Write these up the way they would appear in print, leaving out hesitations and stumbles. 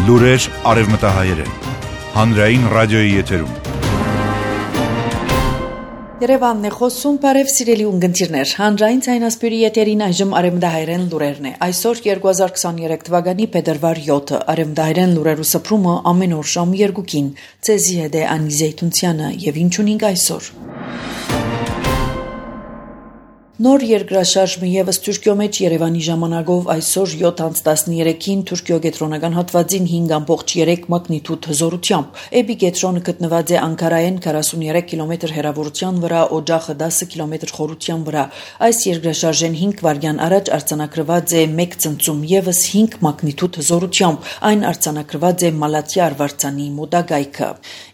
Լուրեր արևմտահայերեն, հանրային ռադիոյի եթերում։ Երևանն է խոսում, բարև սիրելի ունգընտիրներ, հանրային ցայնասպյուրի եթերին այժմ արևմտահայերեն լուրերն է։ Այսօր 2023 թվականի փետրվար 7-ը արևմտահայերեն լուրերու սփռումը ամեն օր շամ 2-ին։ Ցեզի հետ է Անի Զեյթունցյանը եւ ինչ ունենք այսօր։ Նոր երկրաշարժը եւս Թուրքիո մեջ Երևանի ժամանակով այսօր 7:13-ին Թուրքիո կենտրոնական հատվածին 5.3 մագնիտուդ հզորությամբ։ Էբի կենտրոնը գտնված է Անկարայեն 43 կիլոմետր հեռավորության վրա, օջախը 10 կիլոմետր խորության վրա։ Այս երկրաշարժեն 5 վայրկյան առաջ արձանագրված է 1 ցնցում եւս 5 մագնիտուդ հզորությամբ։ Այն արձանագրված է Մալաթիա արվարձանի մոտակայքը։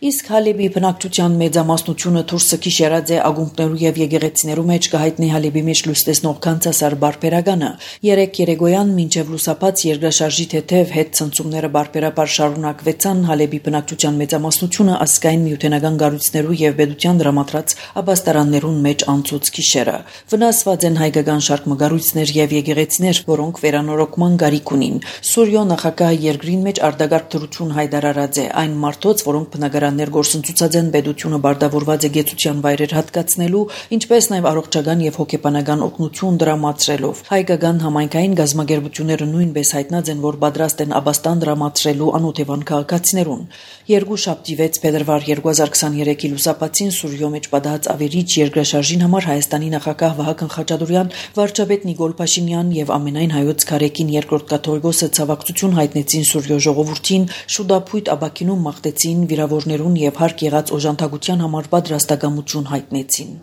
Իսկ Հալեբի բնակչության մեծամասնությունը դուրսը քիշերած է ագունքներու եւ եկեղեցիներու մեջ կհայտնի Հալեբի մեջ լույս տեսնող կանցասար բարբերականը։ 3 երեկոյան մինչև լուսապած երկրաշարժի թեթև հետ ցնցումները բարբերաբար շարունակվեցան Հալեբի բնակչության մեծամասնությունը ազգային միութենական գառույցներու եւ պետության դրամատրած աբաստարաններուն մեջ անցուց քիշերը։ Վնասված են հայկական շարք մգառույցներ եւ եկեղեցիներ, որոնք վերանորոգման գարիք ունին։ Սուրիո նախագահը երկրին մեջ արտագարկ դրություն հայտարարած է այն մարդոց, որոնք բնակարաններ գործընծուցած են պետությունը բարդավորված է գեցության վայրեր հատկացնելու, ինչպես նաեւ առողջական եւ հոգեբանական օգնություն դրամատրելով։ Հայկական համայնքային գազագերբությունները նույնպես հայտնած են, որ պատրաստ են աբաստան դրամատրելու անօթևան քաղաքացիներուն։ Երկուշաբթի 6 փետրվար 2023-ի լուսապացին Սուրիո մեջ պատահած ավերիչ երկրաշարժին համար Հայաստանի նախագահ Վահագն Խաչատուրյան, վարչապետ Նիկոլ Փաշինյան եւ ամենայն հայոց քարեկին երկրորդ կաթողիկոսը ցավակցություն հայտնեցին Սուրիո ժողովրդին, շուտապույտ աբակինում մաղթեցին վիրավորներուն եւ հարկ եղած օժանդակության համար պատրաստակամություն հայտնեցին։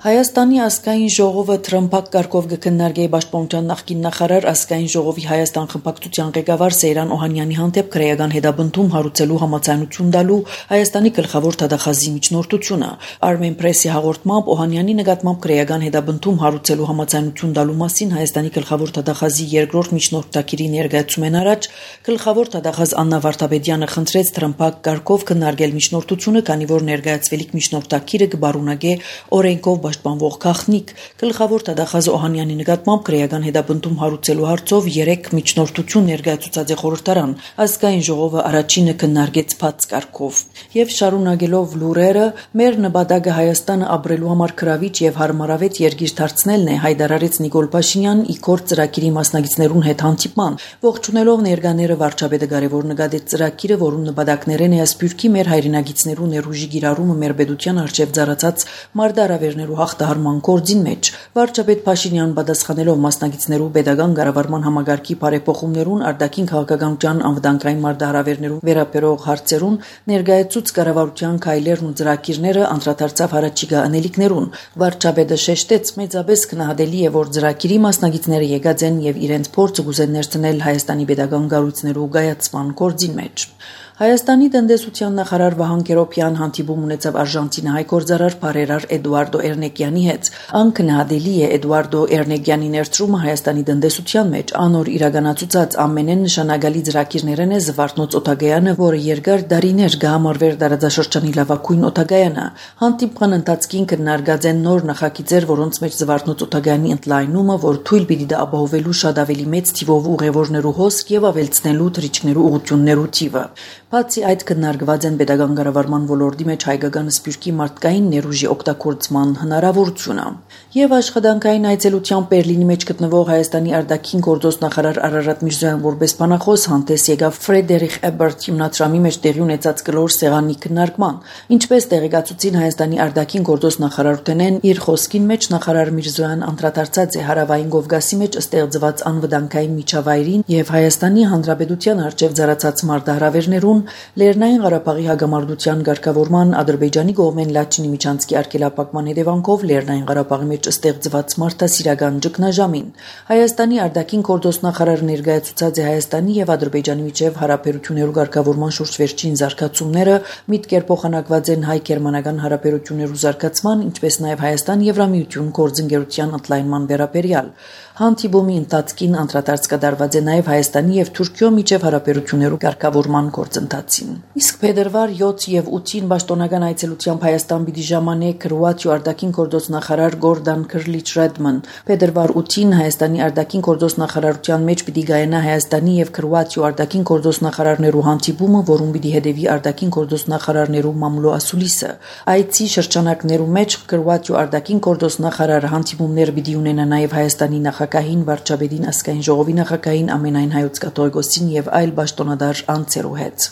Հայաստանի ազգային ժողովը Թրամփակ կարգով կքննարկի Պաշտպանության նախկին նախարար ազգային ժողովի Հայաստան խմբակցության ղեկավար Սեյրան Օհանյանի հանդեպ քրեական հետապնդում հարուցելու համաձայնություն տալու Հայաստանի գլխավոր դատախազի միջնորդությունը։ Armen Press-ի հաղորդմամբ Օհանյանի նկատմամբ քրեական հետապնդում հարուցելու համաձայնություն տալու մասին Հայաստանի գլխավոր դատախազի երկրորդ միջնորդակիրի ներկայացումեն առաջ գլխավոր դատախազ Աննա Վարդապետյանը խնդրեց Թրամփակ կարգով քննարկել միջնորդությունը, քանի որ ներկայացվելիք միջնորդակիրը կբարունագե օրենքով պաշտպանվող գաղտնիք։ Գլխավոր դատախազ Օհանյանի նկատմամբ քրեական հետապնդում հարուցելու հարցով 3 միջնորդություն ներկայացուցած է խորհրդարան։ Ազգային ժողովը առաջինը քննարկեց բաց կարգով։ Եվ շարունակելով լուրերը, մեր նպատակը Հայաստանը ապրելու համար գրավիչ եւ հարմարավետ երկիր դարձնելն է, հայտարարեց Նիկոլ Փաշինյան իքոր ծրագիրի մասնակիցներուն հետ հանդիպման։ Ողջունելով ներկաները վարչապետը կարևոր նկատեց ծրագիրը, որում նպատակներն է ասպյուրքի մեր հայրենագիցներու ներուժի գիրառումը մեր պետության արժեվ ծառացած մարտահրավերներու հաղթահարման գործին մեջ։ Վարչապետ Փաշինյան պատասխանելով մասնակիցներու pedagogan կառավարման համագարկի բարեփոխումներուն, արտաքին քաղաքականության անվտանգային մարտահրավերներուն վերաբերող հարցերուն ներկայացուց կառավարության քայլերն ու ծրագիրները անդրադարձավ առաջիկա անելիքներուն։ Վարչապետը շեշտեց, մեծապես գնահատելի է, որ ծրագիրի մասնակիցները եկած են եւ իրենց փորձը գուզեն ներդնել Հայաստանի pedagogan կառույցներու գայացման գործին մեջ։ Հայաստանի տնտեսության նախարար Վահան Կերոբյան հանդիպում ունեցավ Արժանտինահայ գործարար բարերար Էդուարդո Էրնեկյանի հետ։ Անկնահատելի է Էդուարդո Էրնեկյանի ներդրումը Հայաստանի տնտեսության մեջ, անոր իրականացուցած ամենեն նշանակալի ծրագիրներն է Զվարթնոց օթագայանը, որը երկար դարիներ կհամարվեր տարածաշրջանի լավագույն օթագայանը։ Հանդիպման ընթացքին քննարկած են նոր նախագիծեր, որոնց մեջ Զվարթնոց օթագայանի ընդլայնումը, որ թույլ պիտի դա ապահովելու շատ ավելի մեծ թիվով ուղևորներու հոսք եւ ավելցնելու թռիչքներու ուղղություններու թիվը։ Բացի այդ քննարկված են pedagogan կառավարման ոլորտի մեջ հայկական սպյուրքի մարդկային ներուժի օգտագործման հնարավորությունը։ Եվ աշխատանքային այցելությամբ Բերլինի մեջ գտնվող Հայաստանի արտաքին գործոստ նախարար Արարատ Միրզոյան որպես բանախոս հանդես եկավ Ֆրեդերիխ Էբերտ հիմնադրամի մեջ տեղի ունեցած կլոր սեղանի քննարկման։ Ինչպես տեղեկացուցին Հայաստանի արտաքին գործոստ նախարարութենեն, իր խոսքին մեջ նախարար Միրզոյան անդրադարձած է Հարավային Կովկասի մեջ ստեղծված անվտանգային միջավայրին եւ Հայաստանի Հանրապետության արժեվ ծառացած մարտահրավերներուն, Լեռնային Ղարաբաղի հագամարտության ղեկավարման Ադրբեջանի կողմեն Լաչինի միջանցքի արգելափակման հետևանքով Լեռնային Ղարաբաղի մեջ ստեղծված մարդասիրական ճգնաժամին։ Հայաստանի արտաքին գործոստ նախարարը ներկայացուցած է Հայաստանի եւ Ադրբեջանի միջև հարաբերություններու ղեկավարման շուրջ վերջին զարգացումները, միտքեր փոխանակված են հայ-գերմանական հարաբերություններու զարգացման, ինչպես նաեւ Հայաստան-Եվրամիություն գործընկերության ընդլայնման վերաբերյալ։ Հանդիպումի ընթացքին անդրադարձ կատարված է նաեւ Հայաստանի եւ Թուրքիո միջև հարաբերություններու ղեկավարման գործընթացին։ գործընթացին։ Իսկ փետրվար 7 եւ 8-ին պաշտոնական այցելությամբ Հայաստան պիտի ժամանե Քրոատիա արտաքին գործ նախարար Գորդան Քրլիչ-Ռեդման։ Փետրվար 8-ին Հայաստանի արտաքին գործ նախարարության մեջ պիտի գայանա Հայաստանի եւ Քրոատիա արտաքին գործ նախարարներու հանդիպումը, որում պիտի հետևի արտաքին գործ նախարարներու մամուլո ասուլիսը։ Այցի շրջանակներու մեջ Քրոատիա արտաքին գործ նախարարը հանդիպումներ պիտի ունենա նաեւ Հայաստանի նախագահին, վարչապետին, ազգային ժողովի նախագահին, ամենայն հայոց կաթողիկոսին եւ այլ պաշտոնադար անձերու հետ։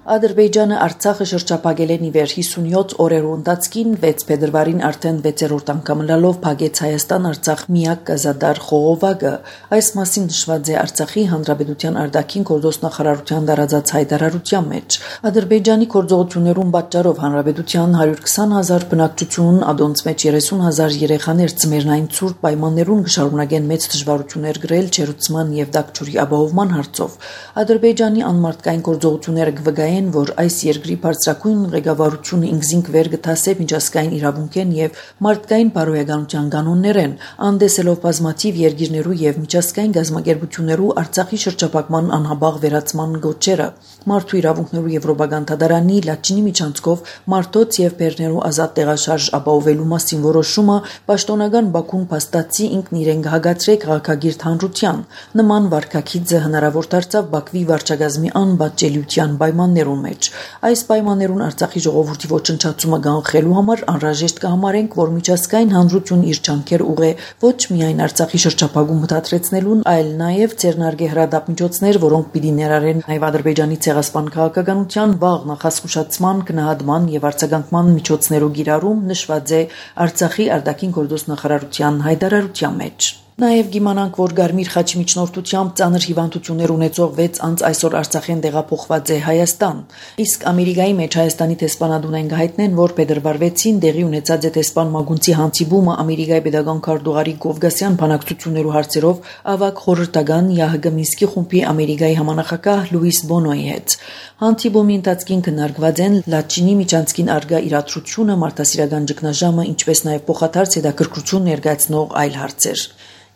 Ադրբեջանը Արցախը շրջապագել են իվեր 57 օրերու ընթացքին 6 փետրվարին արդեն 6-րդ անգամ լալով փակեց Հայաստան-Արցախ միակ գազադար խողովակը։ Այս մասին նշված է Արցախի Հանրապետության արտաքին գործ նախարարության տարածած հայտարարության մեջ։ Ադրբեջանի գործողություններուն պատճառով Հանրապետության 120,000 բնակչություն, ադոնց մեջ 30,000 երեխաներ ծմերնային ցուրտ պայմաններուն կշարունակեն մեծ դժվարություններ գրել ջերուցման եւ դակչուրի ապահովման հարցով։ Ադրբեջանի անմարտկային գործողությունները կվգայեն, որ այս երկրի բարձրակույն ղեկավարությունը ինքզինք վեր կթասե միջազգային իրավունքեն եւ մարդկային բարոյականության կանոններեն, անդեսելով բազմաթիվ երկիրներու եւ միջազգային գազམ་ակերպություններու Արցախի շրջապակման անհաբաղ վերացման գոչերը։ Մարդու իրավունքներու եվրոպական դատարանի Լաչինի միջանցքով մարդոց եւ բեռներու ազատ տեղաշարժ ապահովելու մասին որոշումը պաշտոնական Բաքուն փաստացի ինքն իրեն կհագացրե քաղաքագիր հանրության։ Նման վարկագիծը հնարավոր դարձավ Բաքվի վարչակազմի անպատժելիության պայմաններում մեջ։ Այս պայմաններուն Արցախի ժողովրդի ոչնչացումը կանխելու համար անհրաժեշտ կհամարենք, որ միջազգային հանրություն իր ջանքեր ուղղե ոչ միայն Արցախի շրջապագում մտածրեցնելուն, այլ նաև ցերնարգե հրադապ-միջոցներ, որոնք պիտի ներառեն նաև Ադրբեջանի ցեղասպան քաղաքականության վաղ նախազգուշացման, գնահատման եւ արձագանքման միջոցներու գիրառում նշված է Արցախի արտաքին գործ նախարարության հայտարարության մեջ։ Նաև գիմանանք, որ Գարմիր խաչի միջնորդությամբ ծանր հիվանդություններ ունեցող 6 անձ այսօր Արցախեն տեղափոխված է Հայաստան։ Իսկ Ամերիկայի մեջ Հայաստանի տեսփանադունեն գահիտնեն, որ փետրվար 6-ին տեղի ունեցած է տեսփան Մագունցի հանդիպումը Ամերիկայի pedagogan քարտուղարի Գովգասյան բանակցություններու հարցերով ավագ խորհրդական ՀՀԳ Մինսկի խումբի Ամերիկայի համանախագահ Լուիս Բոնոյի հետ։ Հանդիպումի ընթացքին քննարկված են Լաչինի միջանցքին արգա իրադրությունը, մարդասիրական ճգնաժամը, ինչպես նաև փոխադարձ հետաքրքրություն ներկայացնող այլ հարցեր։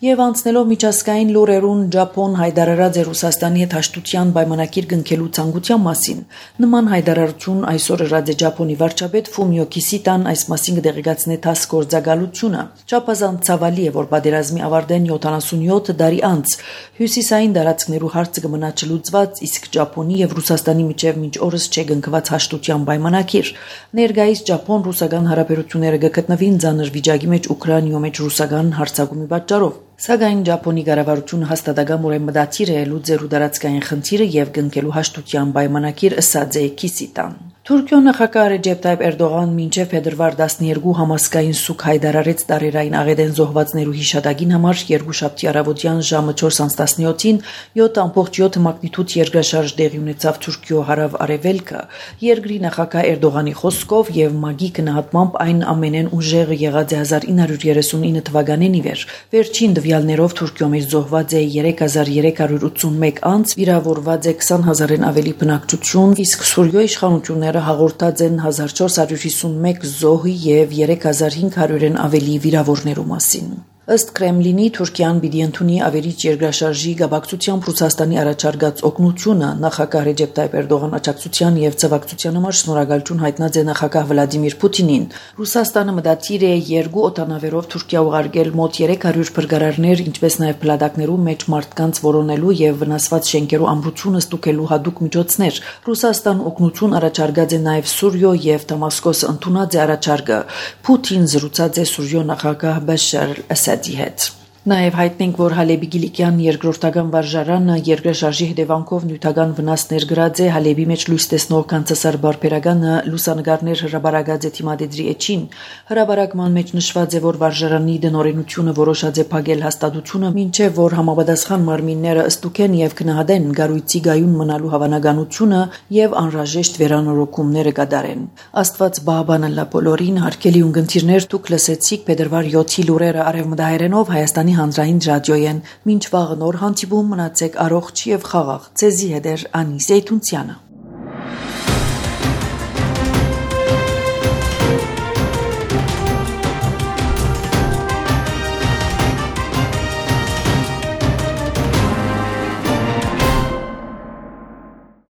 Եվ անցնելով միջազգային լուրերուն Ճապոն հայտարարած է Ռուսաստանի հետ հաշտության պայմանագիր կնքելու ցանկության մասին։ Նման հայտարարություն այսօր ըրած է Ճապոնի վարչապետ Ֆումիո Կիսիտան այս մասին կդեղեկացնե ՏԱՍՍ գործակալությունը։ Չափազանց ցավալի է, որ պատերազմի ավարտեն 77 տարի անց հյուսիսային տարածքներու հարցը կմնա չլուծված, իսկ Ճապոնի եւ Ռուսաստանի միջև մինչ օրս չէ կնքված հաշտության պայմանագիր։ Ներկայիս Ճապոն-ռուսական հարաբերությունները կգտնվին ծանր վիճակի մեջ Ուկրաինայում մեջ ռուսական հարձակումի պատճառով։ Սակայն Ճապոնի կառավարությունը հաստատակամորեն մտադիր է լուծելու տարածքային խնդիրը եւ կնքելու հաշտության պայմանագիր, ըսած է Կիսիտան։ Թուրքիո նախագահ Ռեջեփ Թայիփ Էրդողան մինչև փետրվար 12 համասկային սուկ հայտարարեց տարերային աղետեն զոհվածներու հիշատակին համար երկուշաբթի առավոտյան ժամը 4:17-ին 7.7 մագնիտուդ երկրաշարժ տեղի ունեցավ Թուրքիո հարավ-արևելքը։ Երկրի նախագահ Էրդողանի խոսքով եւ ՄԱԳ-ի գնահատմամբ այն ամենեն ուժեղը եղած է 1939 թվականին ի վեր։ Վերջին տվյալներով Թուրքիո մեջ զոհված է 3381 անձ, վիրավորված է 20,000-ն ավելի բնակչություն, իսկ Սուրիո իշխանությունները հաղորդած են 1451 զոհի եւ 3500-ն ավելի վիրավորներու մասին։ Ըստ Կրեմլինի Թուրքիան պիտի ընդունի ավերիչ երկրաշարժի գաբակցությամբ Ռուսաստանի առաջարկած օգնությունը նախագահ Ռեջեփ Թայիփ Էրդողան աջակցության եւ ցավակցության համար շնորհակալություն հայտնած է նախագահ Վլադիմիր Պուտինին։ Ռուսաստանը մտադիր է 2 օտանավերով Թուրքիա ուղարկել մոտ 300 փրկարարներ, ինչպես նաեւ փլատակներու մեջ մարդկանց որոնելու եւ վնասված շենքերու ամրությունը ստուգելու հadoop միջոցներ։ Ռուսաստան օգնություն առաջարկած է նաեւ Սուրիո եւ Դամասկոս ընդունած է առաջարկը։ Պուտին զրուցած է Սուրիո նախագահ Բաշար Ասադի հետ։ Նաև հայտնենք, որ Հալեբի Գիլիկյան երկրորդական վարժարանը երկրաշարժի հետևանքով նյութական վնասներ գրած է Հալեբի մեջ լույս տեսնող կանցասար բարբերականը լուսանկարներ հրաբարակած է թիմադեդրի էջին։ Հրաբարակման մեջ նշված է, որ վարժարանի դնորենությունը որոշած է փակել հաստատությունը, մինչև որ համապատասխան մարմինները ստուգեն եւ գնահատեն գարույցի գայուն մնալու հավանականությունը եւ անհրաժեշտ վերանորոգումները կատարեն։ Աստված բաբանը լա բոլորին, հարգելի ունգընտիրներ, դուք լսեցիք փետրվար 7-ի լուրերը արևմտահայերենով Հայաստանի հանրային ռադիոյեն։ Մինչ վաղ նոր հանդիպում մնացեք առողջ եւ խաղաղ։ Ձեզի հետ էր Անի Զեյթունցյանը։